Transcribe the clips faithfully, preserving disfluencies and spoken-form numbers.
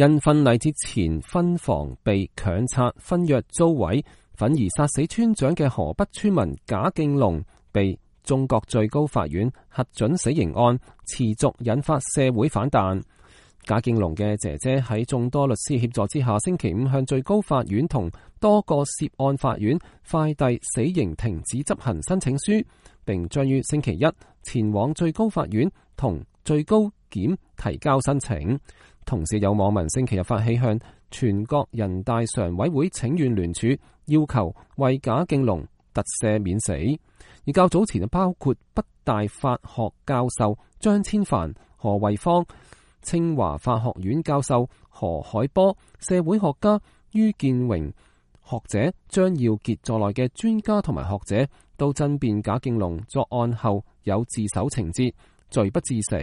因婚禮之前婚房被強拆、婚約遭毀，憤而殺死村長嘅河北村民賈敬龍被中國最高法院核准死刑案，持續引發社會反彈。賈敬龍嘅姐姐喺眾多律師協助之下，星期五向最高法院同多個涉案法院快遞死刑停止執行申請書，並將於星期一前往最高法院同最高檢提交申請。同時有網民星期日發起向全國人大常委會請願聯署，要求為賈敬龍特赦免死。而較早前包括北大法學教授張千帆、何惠芳、清華法學院教授何海波、社會學家于建榮、學者張耀傑在內嘅專家同埋學者都爭辯賈敬龍作案後有自首情節，罪不致死。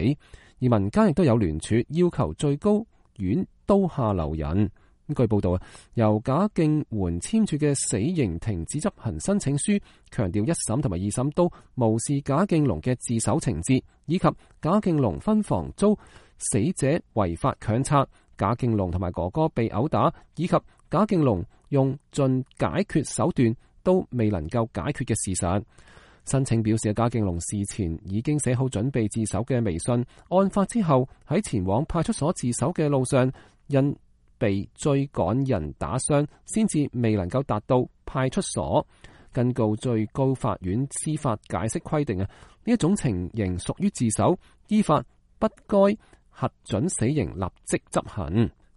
而民間亦都有聯署要求最高院刀下留人。據報道啊，由賈敬媛簽署嘅死刑停止執行申請書，強調一審同埋二審都無視賈敬龍嘅自首情節，以及賈敬龍婚房遭死者違法強拆，賈敬龍同埋哥哥被毆打，以及賈敬龍用盡解決手段都未能夠解決嘅事實。申請表示，賈敬龍事前已經寫好準備自首嘅微信，案發之後喺前往派出所自首嘅路上，因被追趕人打傷，先至未能夠達到派出所。根據最高法院司法解釋規定啊，呢一種情形屬於自首，依法不該核准死刑立即執行。